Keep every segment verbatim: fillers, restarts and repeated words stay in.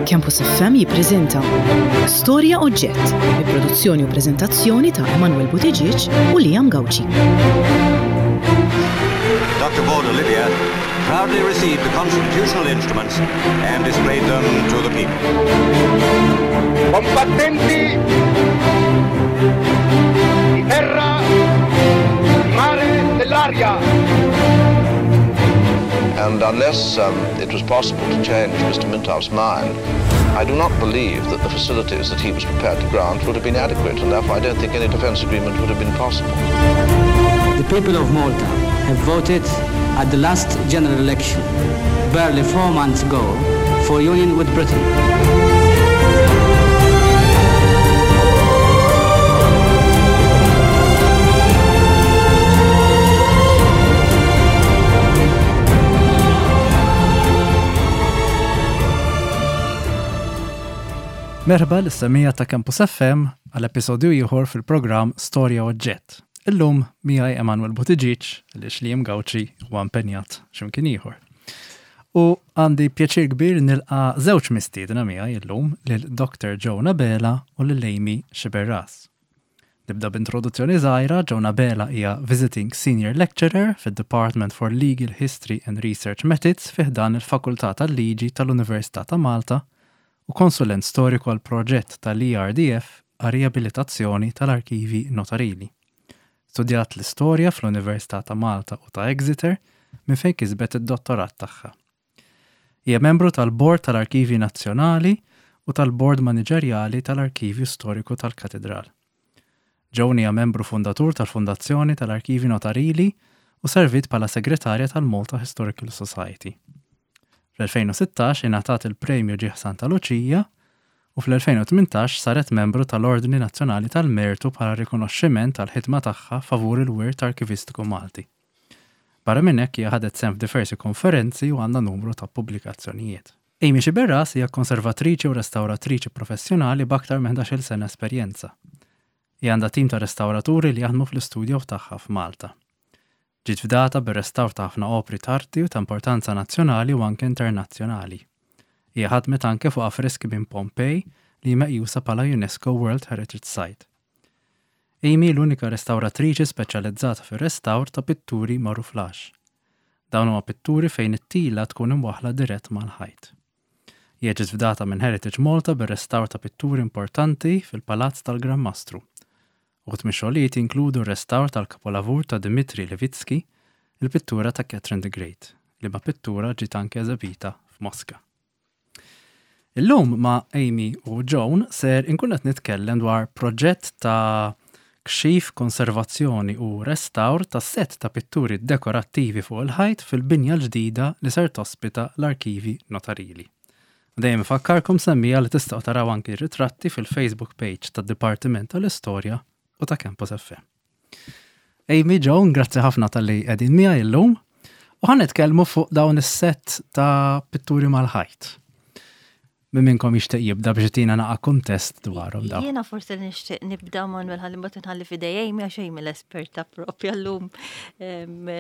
Campus F M jippreżenta Storja Oġġett bi produzzjoni u preżentazzjoni ta' Emanuel Buttigieg u Liam Gauci. Doctor Borg Olivier proudly received the constitutional instruments and displayed them to the people. Combattenti di terra, di mare, dell'aria. And unless um, it was possible to change Mister Mintoff's mind, I do not believe that the facilities that he was prepared to grant would have been adequate, and therefore I don't think any defence agreement would have been possible. The people of Malta have voted at the last general election, barely four months ago, for union with Britain. Merħba lis-semmiegħa ta' Campus F M għal episodju ieħor fil-programm Storja Oġġett. Illum miegħi Emanuel Buttigieg, li Liam Gauci huwa impenjat x'imkien ieħor. U għandi pjaċir kbir nilqa' żewġ mistiedna miegħi illum, lil Doctor Joan Abela u lil Amy Sciberras. Nibda b'introduzzjoni żgħira. Joan Abela hija Visiting Senior Lecturer fid-Department for Legal History and Research Methods fi ħdan il-Fakultà tal-Liġi tal-Università ta' Malta u konsulent storiku għal proġett tal-E R D F għal riabilitazzjoni tal-arkivi notarili. Studjat l-istorja fl-Università ta' Malta u ta' Exeter, minn fejn kisbet id-dottorat tagħha. Hija membru tal-Bord tal-Arkivi Nazzjonali u tal-Bord Maniġerjali tal-Arkivju Storiku tal-Katedral. Joan hija membru fundatur tal-Fondazzjoni tal-Arkivi Notarili u servit bħala segretarja tal-Malta Historical Society. Fl-elfejn u sittax ingħatat il-Premju Ġieħ Santa Luċija u fl-elfejn u tmintax saret membru tal-Ordni Nazzjonali tal-Mertu bħala rikonoxximent tal-ħidma tagħha favur il-wirt arkivistiku Malti. Barra minn hekk, hija ħadet sehem f'diversi konferenzi u għandha numru ta' pubblikazzjonijiet. Amy Sciberras hija konservatriċi u restawratriċi professjonali b'aktar minn ħdax-il sena esperjenza. Hija għandha tim ta' restawraturi li jaħdmu fl-istudjo tagħha f'Malta. Ġiet fdata bir-restawr ta' ħafna opri t'arti u ta' importanza nazzjonali u anke internazzjonali. Hija ħadmet anke fuq affreski minn Pompej li meqjusa bħala UNESCO World Heritage Site. Amy l-unika restawratriċi speċjalizzata fir-restawr ta' pitturi marouflage. Dawn huma pitturi fejn it-tila tkun imwaħla dirett mal-ħajt. Hija ġiet fdata minn Heritage Malta bir-restawr ta' pitturi importanti fil-Palazz tal-Gran Mastru. Uħud mix-xogħlijiet jinkludu r-restawr tal-kapolavur ta' Dimitri Levitsky, il-pittura ta' Catherine the Great, li ma pittura ġiet anke eżebita f'Moska. Illum ma' Amy u Joan ser inkun qed nitkellem dwar proġett ta' kxif, konservazzjoni u restawr ta' set ta' pitturi dekorattivi fuq il-ħajt fil-binja l-ġdida li ser tospita l-arkivi notarili. Dejjem fakkarkom, semmiegħa, li tistgħu taraw anki ritratti fil-Facebook page tad-Dipartiment tal-Istorja u ta' Campus F M. Amy, Joan, grazzi ħafna talli qegħdin miegħi illum u ħa nitkellmu fuq dawn is-set ta' pitturi mal-ħajt. Min minnkom jixtieq jibda biex jtina naqa kuntest dwarhom dawn? Jiena forsi nixtieq nibda, Manuel, ħalli mbagħad nħalli f'idej Amy, għax Amy l-esperta propja llum, em,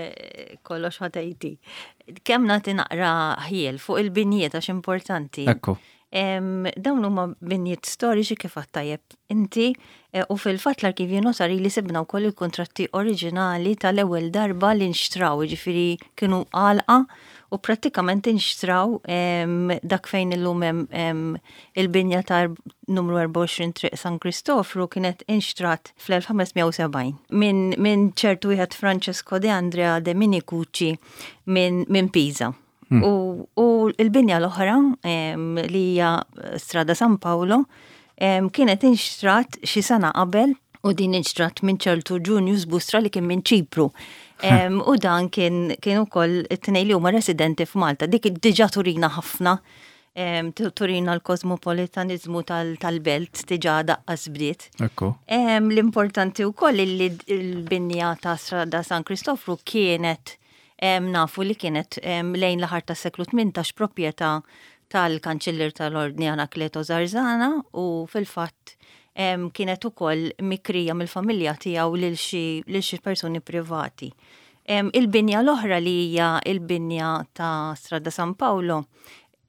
kollox ħatejti. Kemm nagħti naqra ħjiel fuq il-binjiet, għax importanti. Ekku. Em, dawn huma binjiet storiċi, kif għedt tajjeb inti, eh, u fil-fatt l-arkivju notarili sibna wkoll il-kontratti oriġinali tal-ewwel darba li nxtraw, ġifieri kienu għalqa u prattikament inxtraw em, dak fejn illum hemm em, il-binja ta' numru erbgħa u għoxrin Triq San Kristofru kienet inxtrat fl-elf ħames mija u sebgħin minn min ċertu wieħed Francesco de Andrea de Minicucci minn min Pisa. Hmm. U, u l-binja l-oħra em, li hija Strada San Paolo em, kienet inxtrat xi sena qabel u din inxtrat minn ċertu Junius Bustra li kien minn Ċipru. Em, u dan kien kien ukoll it-tnejn li huma residenti f'Malta. Dik diġà turina ħafna, em, tu- turina l-kosmopolitanizmu tal-belt diġà daqqas bdiet. Ekku. Em, L-importanti wkoll li l-binja ta' Strada San Kristofru kienet em, nafu li kienet em, lejn l-aħħar tas-seklu tmintax proprjetà tal-kanċellier tal-Ordni Anacleto Zarzana u fil-fatt em, kienet ukoll mikrija mill-familja tiegħu lil xi lil xi persuni privati. Em, Il-binja l-oħra li hija il-binja ta' Strada San Paolo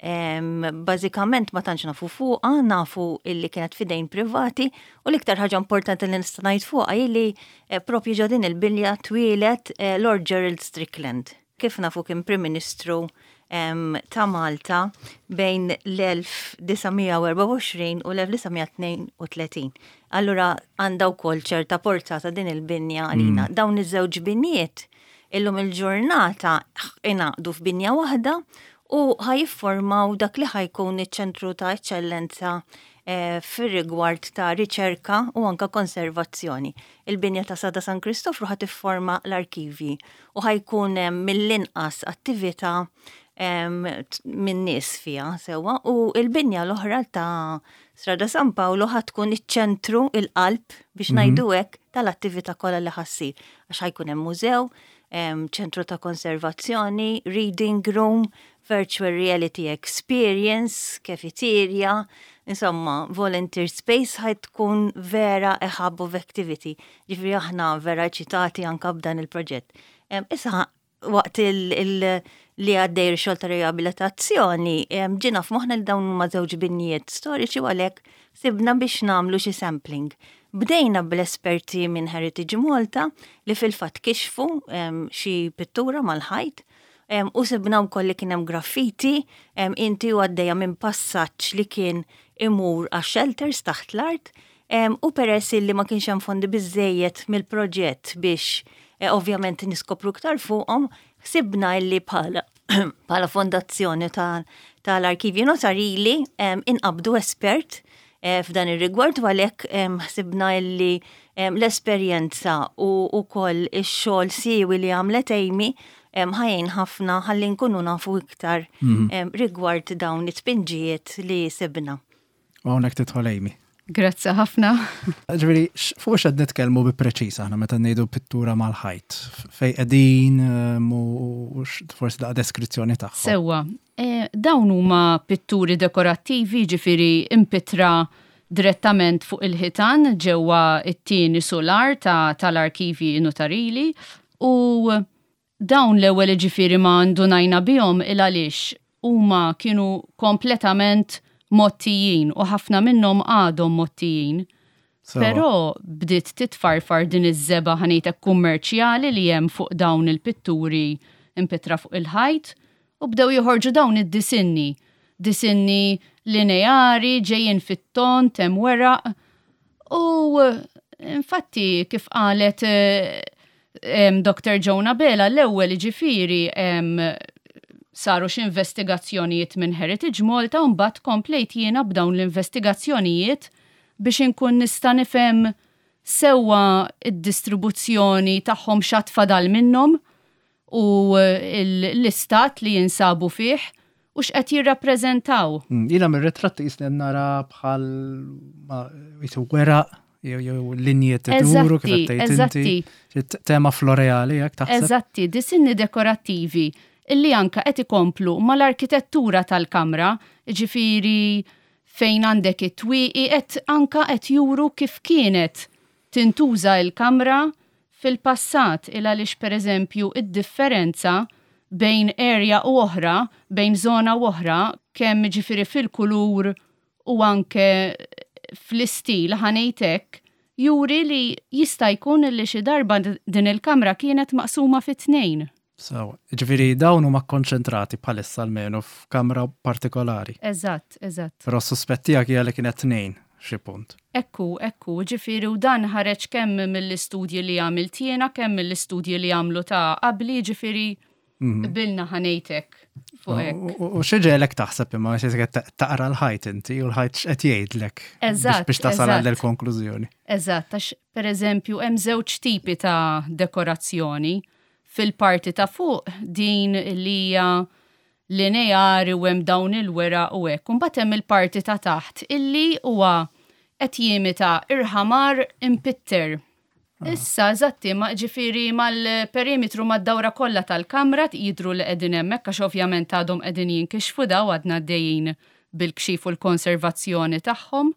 Bażikament ma tantx nafu fuqha, nafu illi kienet fidejn privati u l-iktar ħaġa importanti li nista' ngħid fuqha illi eh, propju ġo din il-binja twieled eh, Lord Gerald Strickland. Kif nafu, kien Prim Ministru ta' Malta bejn l-elf disa' mija u erbgħa u għoxrin u l-elf disa' mija tnejn u tletin. Allura għandha wkoll ċerta portata din il-binja għalina. Mm. Dawn iż-żewġ binjiet illum il-ġurnata ingħaqdu f'binja waħda u ħa jiffurmaw dak li ħa jkun iċ-ċentru ta' eċċellenza eh, fir-rigward ta' riċerka u anka konservazzjoni. Il-binja ta' Strada San Kristofru ħa tifforma l-arkivi u ħa jkun mill-inqas attività minn nies fiha sewwa u il-binja l-oħra ta' Strada San Paolo ħa tkun iċ-ċentru, il-qalb biex mhm. ngħidu hekk, tal-attività kollha li ħa ssir, għax ħa jkun hemm mużew, ċentru ta' konservazzjoni, reading room, virtual reality experience, cafeteria, insomma, volunteer space, ħa tkun vera a hub of activity. Ġifieri aħna vera eċitati anka b'dan il-proġett. Issa waqt li għaddej xogħol ta' riabilitazzjoni, ġiena f'moħħna li dawn huma żewġ binjiet storiċi u għalhekk sibna biex nagħmlu xi sampling. Bdejna bl-esperti minn Heritage Malta li fil-fatt kixfu xi pittura mal-ħajt u sibna wkoll li kien hemm graffiti inti u għaddejja minn passaġġ li kien imur għax shelters taħt l-art, u peress li ma kienx hemm fondi biżejjed mill-proġett biex eh, ovvjament niskopru iktar fuqhom, sibna illi bħala bħala fondazzjoni tal-arkivji notarili inqabdu espert eh, f'dan ir-rigward u għalhekk ħsibna illi l-esperjenza u wkoll ix-xogħol siewi li għamlet Amy ħa jgħin ħafna ħalli nkunu nafu iktar mhm. rigward dawn it-tpinġijiet li sibna. U hawnhekk tidħol Amy. Grazzi ħafna. Ġifieri, fuq x'qed nitkellmu bi preċiż aħna meta ngħidu pittura mal-ħajt? Fejn qegħdin u forsi daqqa deskrizzjoni tagħhom. Sewwa, e, dawn huma pitturi dekorattivi, ġifieri impittra direttament fuq il-ħitan ġewwa it-tieni solar tal-arkivi notarili, u dawn l-ewwel ġifieri ma ndunajna bihom il għaliex huma kienu kompletament mgħottijin u ħafna minnhom għadhom mgħottijin. Però bdiet titfarfar din iż-żebgħa, ħa ngħidlek, kummerċjali li hemm fuq dawn il-pitturi impittra fuq il-ħajt u bdew joħorġu dawn id-disinni. Disinni lineari, ġejjin fit-ton, hemm weraq. U infatti, kif qalet eh, Doktor Jonah Bela, l-ewwel ġifieri saru x'investigazzjonijiet minn Heritage Malta u mbagħad komplejt jiena b'dawn l-investigazzjonijiet biex inkun nista' nifhem sewwa id-distribuzzjoni tagħhom, x'għad fadal minnhom u l-istat li jinsabu fih u x'qed jirrappreżentaw. Mm, jiena mir-ritratti qisni nara bħal weraq jew linji tiduru kif qed tgħid inti. Tema floreali jekk taħseb. Eżatti, disinni dekorattivi illi anka qed ikomplu mal-arkitettura tal-kamra, ġifieri fejn għandek it-twieqi qed anka qed juru kif kienet tintuża il-kamra fil-passat, il għaliex pereżempju id-differenza bejn area u oħra, bejn zona u oħra, kemm ġifieri fil-kulur u anke fl-istil, ħa ngħidlek, juri li jista' jkun li xi darba din il-kamra kienet maqsuma fi tnejn. So, ġifieri dawn huma konċentrati bħalissa almenu f'kamra partikolari. Eżatt, eżatt. Però suspett tiegħek hija li kienet tnejn xi punt. Ekku, ekku, ġifieri u dan ħareġ kemm mill-istudji li għamilt jiena, kemm mill-istudji li għamlu ta' qabli, ġifieri mhm. bilna, ħa ngħidlek, fuq hekk. U x'iġegħlek taħseb imma xi taqra l-ħajt inti u l-ħajt x'qed jgħidlek Eżatt. biex tasal għal konklużjoni? Eżatt, għax pereżempju hemm żewġ tipi ta' dekorazzjoni. Fil-parti ta' fuq din li hija lineari u hemm dawn il-weraq u hekk. Imbagħad hemm il-parti ta' taħt illi huwa qed jimita irħamar impitter. Ah. Issa, eżatti, ma ġifieri mal-perimetru, mad-dawra kollha tal-kamra jidru li qegħdin hemmhekk, għax ovvjament għadhom qegħdin jinkixfu daw, għadna għaddejjin bil-kxif u l-konservazzjoni tagħhom.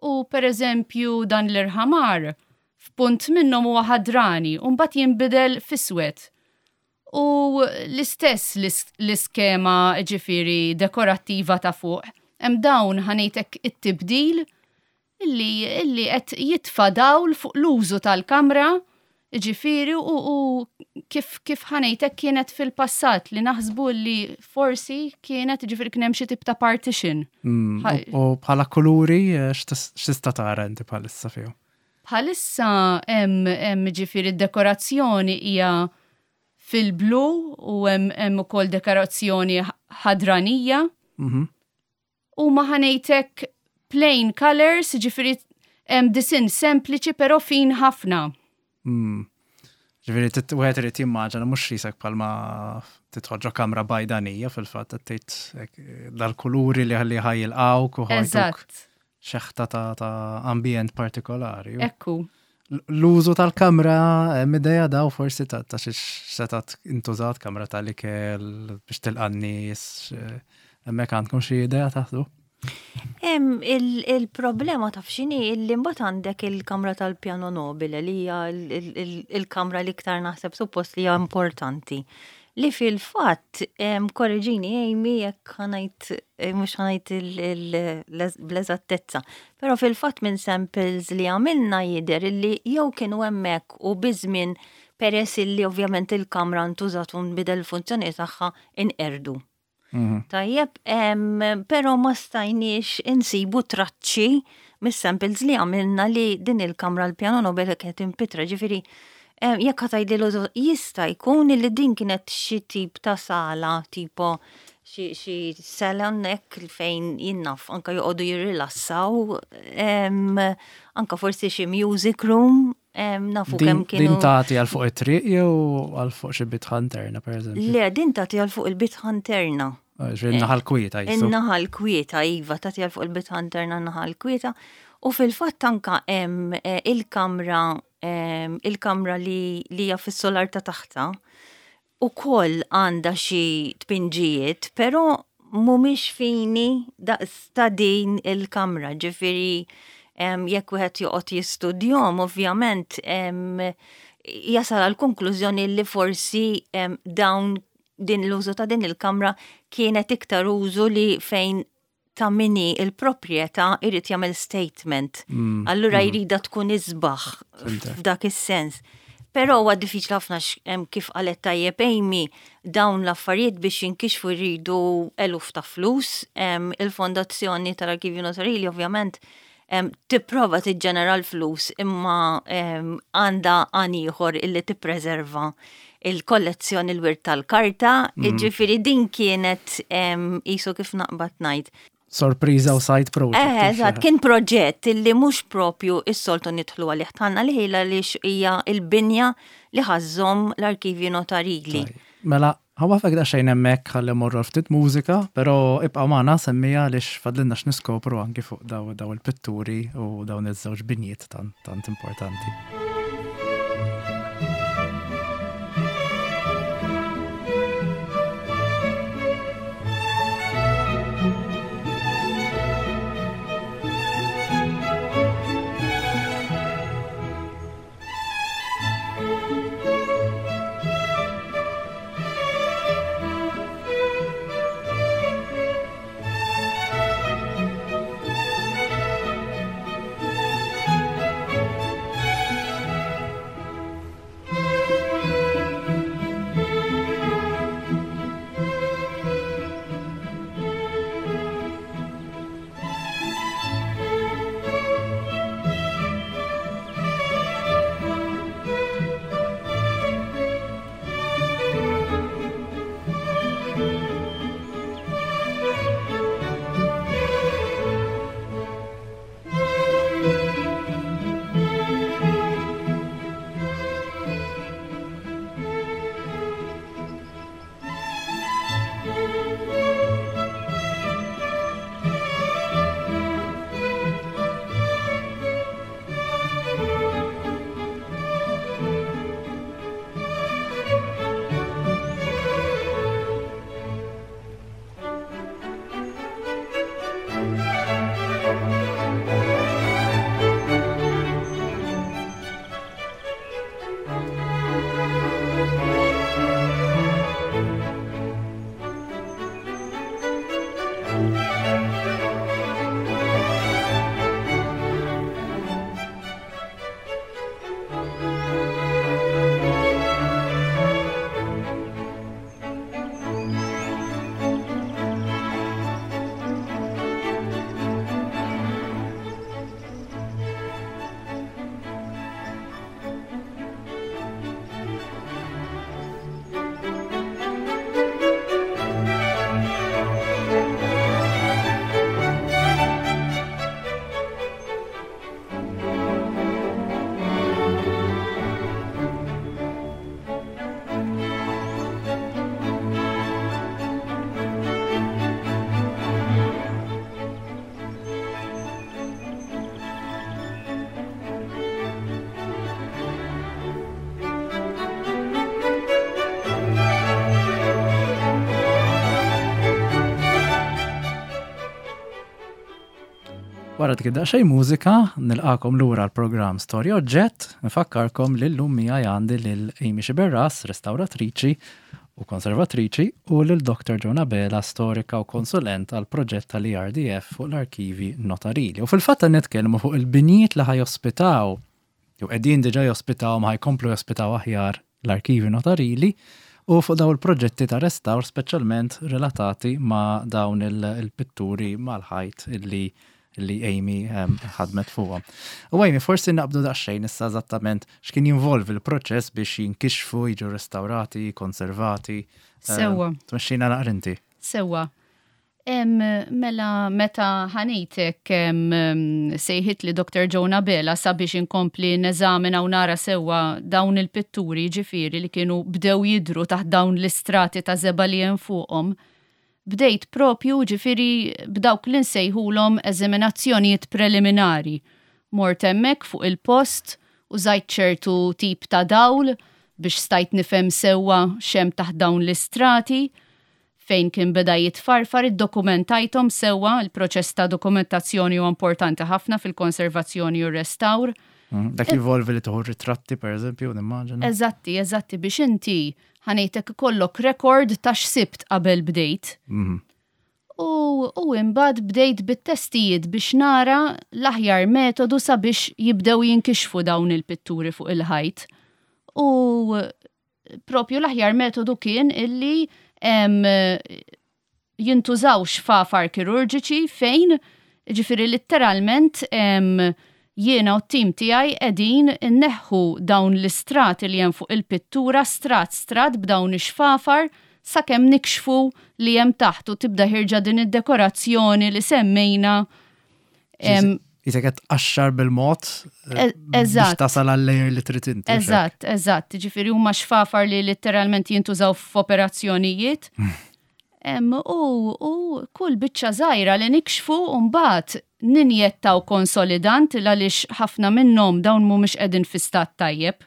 U per eżempju dan l-irħamar f'punt minnhom huwa ħadrani u mbagħad jinbidel f'iswed. U l-istess l-iskema ġifieri dekorattiva ta' fuq. Hemm dawn ħa ngħidlek it-tibdil illi illi qed jitfa' dawl fuq l-użu tal-kamra ġifieri u, u kif, kif ħa ngħidlek kienet fil-passat li naħsbu li forsi kienet ġifieri kien hemm xi tip ta' partition. Mm, u bħala kuluri eh, x'tista' tara inti bħalissa fihom? Bħalissa hemm ġifieri d-dekorazzjoni hija fil-blu u hemm ukoll dekorazzjoni ħadranija. Mhm. U ma ħa ngħidlek plain colors, ġifieri hemm disinn sempliċi però fin ħafna. Mm. Ġifieri wieħed irid jimmaġina mhux risek bħalma tidħol ġo kamra bajdanija fil-fatt qed tgħid dal-kuluri li ħalli ħa jilqgħuk u ħa jtuk xeħta ta' ambjent partikolari. Ekku. L-użu tal-kamra hemm idea daw forsi ta' ta' xiex setat intużat kamra tal-ikel biex tilqa' n-nies, hemmhekk għandkom xi idea taħdu? Il-problema taf x'inhi illi mbagħad għandek il-kamra tal-piano nobile li hija il-kamra li iktar naħseb suppost li hija importanti. Li fil-fatt, korreġini Amy jekk ħa ngħid, mhux ħa ngħid bl-eżattezza, però fil-fatt minn samples li għamilna jidher illi jew kienu hemmhekk u biż-żmien peress illi ovvjament il-kamra ntużat u nbidel il-funzjoni tagħha inqerdu. Mhm. Tajjeb, però ma stajniex insibu traċċi mis-samples li għamilna li din il-kamra l-piano nobile kienet impittra, ġifieri jekk ħa tgħidli l-użu jista' jkun li din kienet xi tip ta' sala tipo xi salon hekk fejn jien naf anka joqogħdu jirrilassaw, anka forsi xi music room, nafu kemm kienu. Din tagħti għal fuq it-triq jew għal fuq xi bitħa interna pereżempju? Le, din tagħti għal fuq il-bitħa interna. Ġifieri naħa l-kwieta jisu. In-naħa l-kwieta, iva, tagħti għal fuq il-bitħa interna naħa l-kwieta. U fil-fatt anka hemm il-kamra il-kamra li hija fis-solar ta' taħta ukoll għandha xi tpinġijiet, però mhumiex fini daqs ta' din il-kamra, ġifieri jekk wieħed joqgħod jistudjahom, ovvjament jasal għal konklużjoni li forsi dawn din l-użu ta' din il-kamra kienet iktar użu li fejn ta' min hu il-proprjetà irid jagħmel statement. Mm, Allura mm. jrida tkun isbaħ Fhimtek. f'dak is-sens. Però huwa diffiċli ħafna kif qalet tajjeb Amy dawn l-affarijiet biex jinkixfu jridu eluf ta' flus. Il-fondazzjoni tal-Arkivju Notarili ovvjament tipprova tiġġenera l-flus imma għandha għan ieħor illi tippreserva il-kollezzjoni l-wirt tal-karta, Mm. ġifieri din kienet qisu kif naqbad ngħid. Sorpriża u side project. Eh, eżatt, kien proġett illi mhux propju is-soltu nidħlu għalih tagħna li ħila li hija il-binja li ħa żżomm l-arkivju notarili. Mela, ħa nwaqqfek daqsxejn hemmhekk ħalli morru ftit mużika, però ibqa' magħna semmija għaliex fadlilna x'niskopru anki fuq daw daw il-pitturi u dawn iż-żewġ binjiet tant tant importanti. Wara dik daqsxejn mużika, nilqakom lura l-programm Storja Oġġett, nfakkarkom li llum miegħi għandi lil Amy Sciberras, restawratriċi u konservatriċi, u lil Dr. Joan Abela, storika u konsulent għal proġett tal-ERDF fuq l-arkivi notarili. U fil-fatt nitkellmu fuq il-binjiet li ħa jospitaw, jew qegħdin diġà jospitaw ma ħa jkomplu jospitaw aħjar l-arkivi notarili, u fuq dawn il-proġetti ta' restawr speċjalment relatati ma' dawn il-pitturi mal-ħajt illi li Amy ħadmet fuqhom. U Amy, forsi naqbdu daqsxejn issa eżattament x'kien jinvolvi l-proċess biex jinkixfu, jiġu restaurati, konservati. Sewwa. Tmexxina naqra inti. Sewwa. Mela meta ħanejtek sejħit li Dr. Joan Abela sabiex inkompli neżamina u nara sewwa dawn il-pitturi ġifieri li kienu bdew jidru taħt dawn l-istrati ta' żebgħa li hemm fuqhom. Bdejt propju ġifieri b'dawk li nsejħulhom eżaminazzjonijiet preliminari. Mort hemmhekk fuq il-post, użajt ċertu tip ta' dawl biex stajt nifhem sewwa x'hemm taħt dawn l-istrati, fejn kien beda jitfarfar, iddokumentajthom sewwa. Il-proċess ta' dokumentazzjoni huwa importanti ħafna fil-konservazzjoni u r-restawr. Dak jinvolvi li tieħu ritratti, per eżempju, nimmaġina. Eżatti, eżatti, biex inti ħanejtek ikollok rekord ta' x'sibt qabel bdejt. U, u imbagħad bdejt bit-testijiet biex nara l-aħjar metodu sabiex jibdew jinkixfu dawn il-pitturi fuq il-ħajt. U propju l-aħjar metodu kien illi jintużaw xfafar kirurġiċi fejn ġifieri letteralment jiena u t-tim tiegħi qegħdin inneħħu dawn l-istrati li hemm fuq il-pittura strat strat b'dawn ix-xfafar sakemm nikxfu li hemm taħt u tibda ħirġa din id-dekorazzjoni li semmejna. Isek qed tqaxxar bil-mod biex tasal għal-layer li trid inti. Eżatt, eżatt. Ġifieri huma xfafar li letteralment jintużaw f'operazzjonijiet. U, u kull biċċa żgħira li nikxfu mbagħad ninjettaw konsolidant għaliex ħafna minnhom dawn mhumiex qegħdin fi stat tajjeb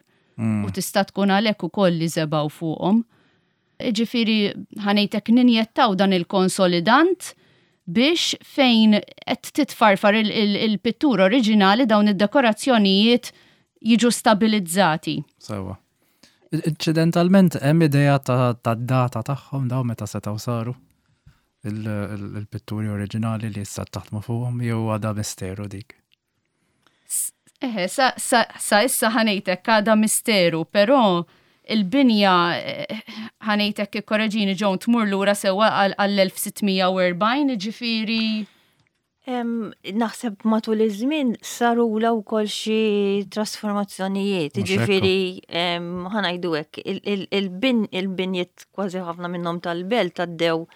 u tista' tkun għalhekk ukoll li żebgħu fuqhom. Ġifieri ħanejtek ninjettaw dan il-konsolidant biex fejn qed titfarfar il-pittura oriġinali dawn id-dekorazzjonijiet jiġu stabilizzati. Sewwa. Inċidentalment hemm idea ta' data tagħhom daw meta setgħu saru il-pitturi oriġinali li issa taħdmu fuqhom jew għadha misteru dik? Eħe, sa, sa, sa issa ħanejtek għadha misteru, però il-binja ħanejtek ikkoreġini Joan tmur lura sewwa għall-elf sitt mija u erbgħin, ġifieri. Naħseb matul iż-żmien sarula wkoll xi trasformazzjonijiet, ġifieri ħanajdu hekk, il-binjiet kważi ħafna minnhom tal-belt għaddew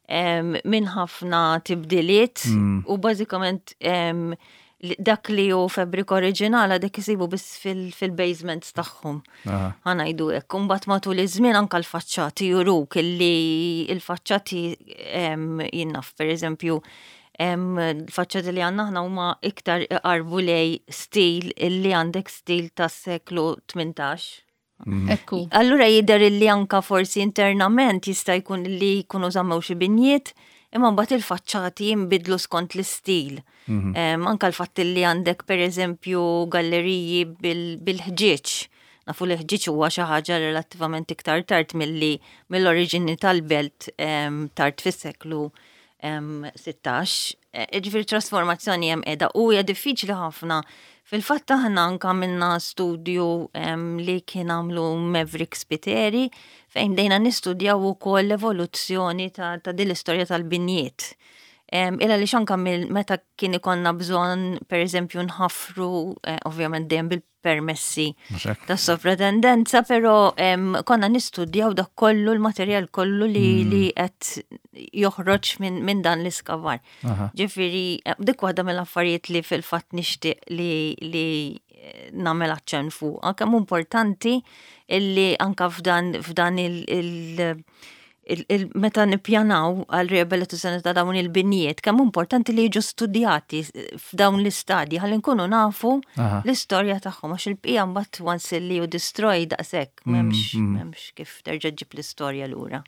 minn ħafna tibdiliet u bażikament dak li hu fabrik oriġinali dak isibu biss fil-basements tagħhom. Ħanajdu hekk. Imbagħad matul iż-żmien anke l-faċċati juruk illi l-faċċati jien naf pereżempju l-faċċati li għandna aħna huma iktar iqarbu lej stil illi għandek stil tas-seklu tmintax. Ekku. Allura jidher illi anka forsi internament jista' jkun li jkunu żammew xi binjiet, imma mbagħad il-faċċati jinbidlu skont l-istil. Anka l-fatt li għandek pereżempju galleriji bil-ħġieġ. Nafu li ħġieġ huwa xi ħaġa relattivament iktar tard milli mill-oriġini tal-belt tard fis-seklu sittax. Ġifieri trasformazzjoni hemm qiegħda u hija diffiċli ħafna. Fil-fatt aħna anka għamilna studju li kien għamlu Maverick Spiteri fejn bdejna nistudjaw ukoll l-evoluzzjoni ta', ta din l-istorja tal-binjiet. Illa li anka meta kien ikollna bżonn, per eżempju, nħafru, eh, ovvjament dejjem bil-permessi ta' sovratendenza, però konna nistudjaw dak kollu l-materjal kollu li mm. li qed joħroġ minn min dan l-iskavar. Ġifieri, eh, dik waħda mill-affarijiet li fil-fatt nixtieq li, li eh, nagħmel aċċenn fuq. Kemm importanti illi anka f'dan f'dan il-, il meta nippjanaw għal riabilitazzjoni ta' dawn il-binjiet, kemm importanti li jiġu studjati f'dawn l-istadji ħalli nkunu nafu l-istorja tagħhom, għax il-bqija mbagħad once li you destroy daqshekk mm, m'hemmx mm. m'hemmx kif terġa' ġġib l-istorja lura.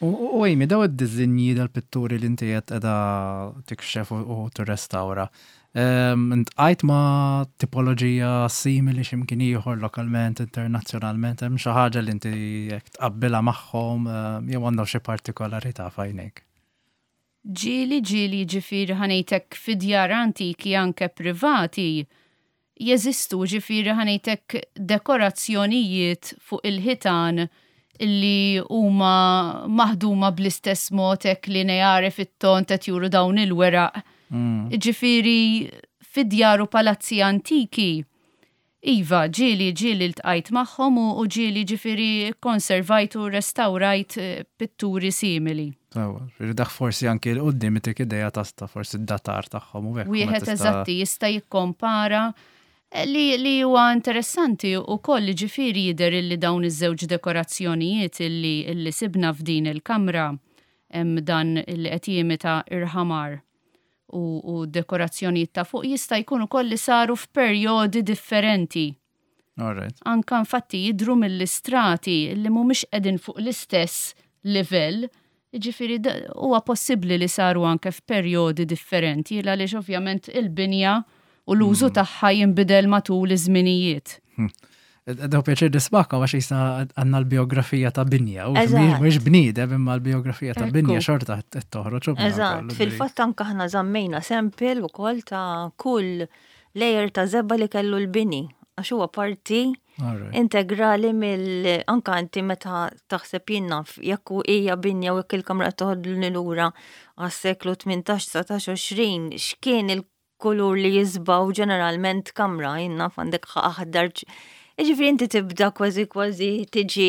U Amy, daw id-dizinji dal-pitturi li inti qed qiegħda tikxef u tirrestawra, iltqajt ma' tipoloġija simili x'imkien ieħor lokalment, internazzjonalment, hemm xi ħaġa li inti jekk tqabbilha magħhom jew għandhom xi partikolarità f'għajnejk? Ġieli, ġieli, ġifieri ħa ngħidlek fi djar antiki anke privati jeżistu, ġifieri ħa ngħidlek, dekorazzjonijiet fuq il-ħitan illi huma maħduma bl-istess mod hekk lineari fit-ton qed juru dawn il-weraq. Mm. Ġifieri fid-djar u palazzi antiki, iva, ġieli ġieli ltqajt magħhom u ġieli ġifieri konservajt u restawrajt eh, pitturi simili. Ġifieri dak forsi anki 'l quddiem itik idea ta' forsi d-datar tagħhom u hekk. Wieħed eżatti jista' jikkompara eh, li, li huwa interessanti u koll ġifieri jidher illi dawn iż-żewġ dekorazzjonijiet illi, illi sibna f'din il-kamra, hemm dan illi qed jimita irħamar u, u dekorazzjonijiet ta' fuq, jista' jkun ukoll li saru f'perjodi differenti. Alright. Anka infatti jidru mill-istrati li mhumiex qegħdin fuq l-istess livell, ġifieri huwa possibbli li saru anke f'perjodi differenti, għaliex ovvjament il-binja u l-użu mm. tagħha jinbidel matul iż-żminijiet. Hmm. Daw pjaċir nismagħkom għax jisna għandna l-biografija ta' binja. U mhux bniedem imma l-biografija ta' binja xorta qed toħroġ. Eżatt, fil-fatt anke aħna żammejna sample ukoll ta' kull layer ta' żebgħa li kellu l-bini, għax huwa parti integrali mill anka inti meta taħseb, jien naf, jekk hija binja u jekk il-kamra toħodni lura għas-seklu tmintax, dsatax, għoxrin, x'kien il-kulur li jiżbgħu ġeneralment kamra, jien naf, għandek aħdar. Ġifieri inti tibda kważi kważi tiġi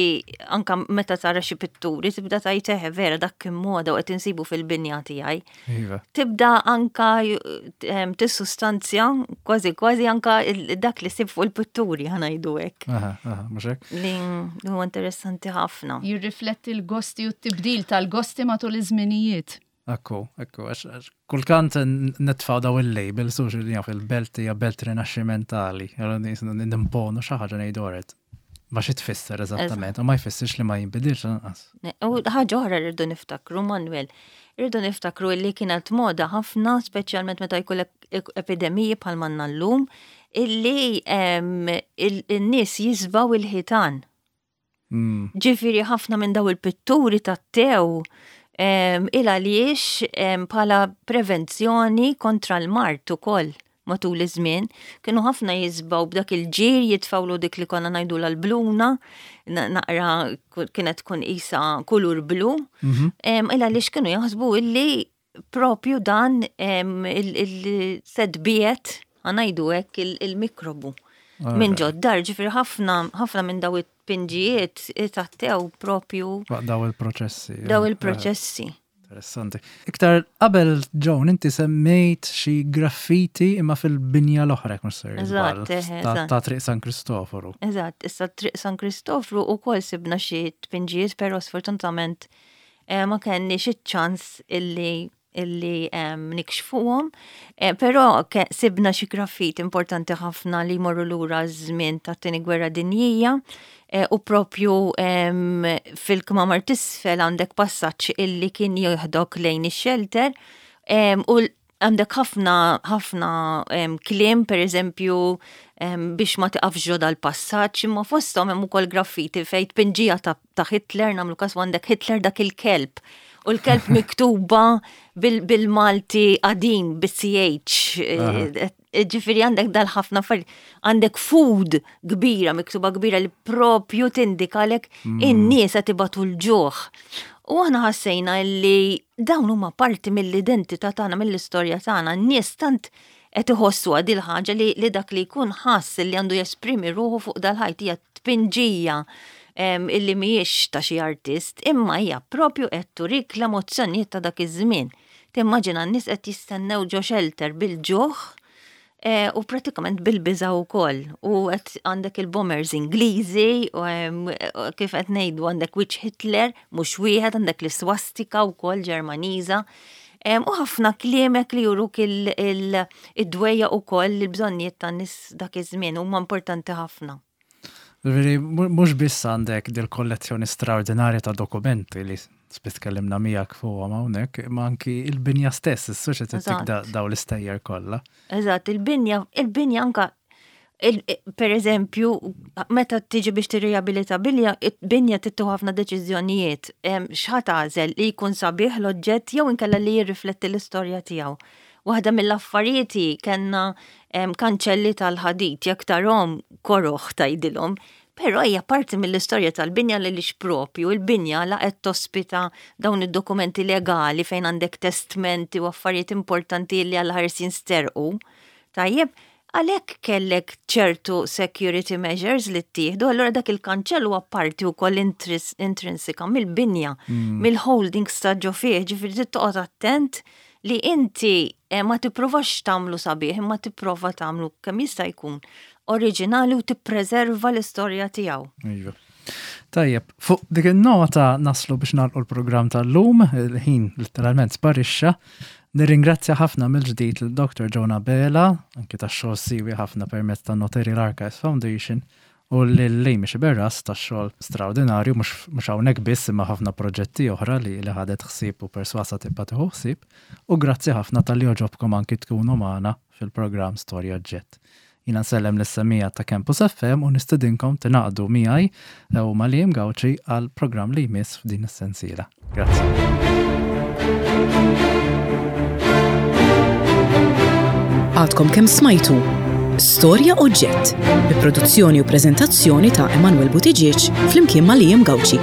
anka meta tara xi pitturi, tibda tgħid, "Eħe, vera dak kien moda u qed insibu fil-binja tiegħi." Iva. Tibda anka tissustanzja kważi kważi anka dak li ssib fuq il-pitturi, ħa ngħidu hekk. Aha, aha, mhux hekk? Li huwa interessanti ħafna. Jirrifletti l-gosti u t-tibdil tal-gosti matul iż-żminijiet. Ekku, ekku, għax kultant nitfaw daw il-label, su li jaf il-belt hija belt rinaxximentali, nimponu xi ħaġa, ngħidu għaret. Ma xi tfisser eżattament, u ma jfissirx li ma jinbidilx lanqas. U ħaġa oħra rridu niftakru, Manuel, rridu niftakru li kienet moda ħafna, speċjalment meta jkollek epidemiji bħal m'għandna llum, illi il-nies jiżbgħu il-ħitan. Mm. Ġifieri ħafna minn daw il-pitturi tat-tew il għaliex bħala prevenzjoni kontra l-mard ukoll matul iż-żmien, kienu ħafna jiżbgħu b'dak il-ġir, jitfawlu dik li konna ngħidu l-bluna, naqra kienet tkun isa kulur blu, mhm. il għaliex kienu jaħsbu illi propju dan il-sedbiet, ħa ngħidu hekk, il-mikrobu minn ġod-dar. Ġifieri ħafna ħafna minn daw it-pinġijiet itattew propju Daw il-proċessi. Daw il-proċessi. Interessanti. Iktar qabel, Joan, inti semmejt xi graffiti imma fil-binja l-oħra, mhux ser Eżatt, ta' Triq San Kristoforu. Eżatt, issa Triq San Kristofru ukoll sibna xi tpinġijiet, però sfortunatament eh, ma kenniex iċ-ċans illi illi um, nikxfuhom, eh, però sibna xi graffiti importanti ħafna li jmorru lura żmien tat-Tieni Gwerra Dinjija eh, u propju um, fil-kmamar t'isfel għandek passaġġ illi kien jieħdok lejn ix-shelter um, u għandek ħafna ħafna um, kliem, per eżempju, um, biex ma tiqafx ġo dal-passaġġ, imma fosthom hemm ukoll graffiti fejn tpinġija ta', ta Hitler, nagħmlu każ, għandek Hitler dak il-kelb. U l-kelb miktuba bil-Malti qadim, bil-C H. Ġifieri għandek dal-ħafna affarijiet. Għandek "food" kbira, miktuba kbira li propju tindikalek mm. in-nies qed ibatu l-ġuħ. U aħna ħassejna li dawn huma parti mill-identità tagħna, mill-istorja tagħna. N-nies tant qed iħossu dil ħaġa li, li dak li jkun ħass li għandu jesprimi ruħu fuq dal-ħajt. Hija tpinġija illi mhijiex ta' xi artist, imma hija propju qed turik l-emozzjonijiet ta' dak iż-żmien. Timmaġina n-nies qed jistennew ġo shelter bil-ġuħ e, u pratikament bil-biża wkoll. U qed għandek il-bombers Ingliżi, u kif qed ngħidu għandek wiċċ Hitler, mhux wieħed, għandek l-iswastika wkoll Ġermaniża. U ħafna kliem hekk li juruk id-dwejjaq ukoll, il-bżonnijiet tan-nies dak iż-żmien huma importanti ħafna. Veri, mhux biss għandek dil-kollezzjoni straordinarja ta' dokumenti li spiss tkellimna miegħek fuqhom hawnhekk, imma anki il-binja stess, is-soċjetà daw l-istejjer kollha. Eżatt, il-binja, il-binja anka, per eżempju, meta tiġi biex tirriabilita binja, binja tieħu ħafna deċiżjonijiet. X'ħa tagħżel, li jkun sabiħ l-oġġett jew inkella li jirrifletti l-istorja tiegħu? Waħda mill-affarijiet kellna kanċelli tal-ħadid, jekk tarahom koroħ tgħidilhom, però hija parti mill-istorja tal-binja li lix propju il-binja la qed tospita dawn id-dokumenti legali fejn għandek testmenti u affarijiet importanti li għal ħarsin sterqu. Tajjeb, għalhekk kellek ċertu security measures li ttieħdu, allura dak il-kanċell huwa parti wkoll intrinsika mill-binja, mm. mill-holdings ta' ġo fih, ġifieri toqgħod attent li inti eh, ma tipprovax tagħmlu sabiħ, imma tipprova tagħmlu kemm jista' jkun oriġinali u tippreserva l-istorja tiegħu. Iva. Tajjeb, fuq dik il-nota naslu biex nagħlqu l-programm tal-lum, il-ħin literalment sparixxa. Nirringrazzja ħafna mill-ġdid l-Doktor Jonah Bela, anki tax-xogħol siwi ħafna permezz ta' Notarial Archives Foundation, u lil Amy Sciberras tax-xogħol straordinarju mhux hawnhekk biss imma ħafna proġetti oħra li li ħadet ħsieb u perswasa tibqa' tieħu ħsieb, u grazzi ħafna talli għoġobkom anki tkunu magħna fil-programm Storja Oġġett. Jiena nsellem lis-semmiegħa ta' Campus F M u nistedinkom tingħaqdu miegħi u ma' Liam Gauci għal programm li jmiss f'din is-sensiela. Grazzi. Għadkom kemm smajtu Storja Oġġett bi produzzjoni u preżentazzjoni ta' Emanuel Buttigieg flimkien ma' Liam Gauci.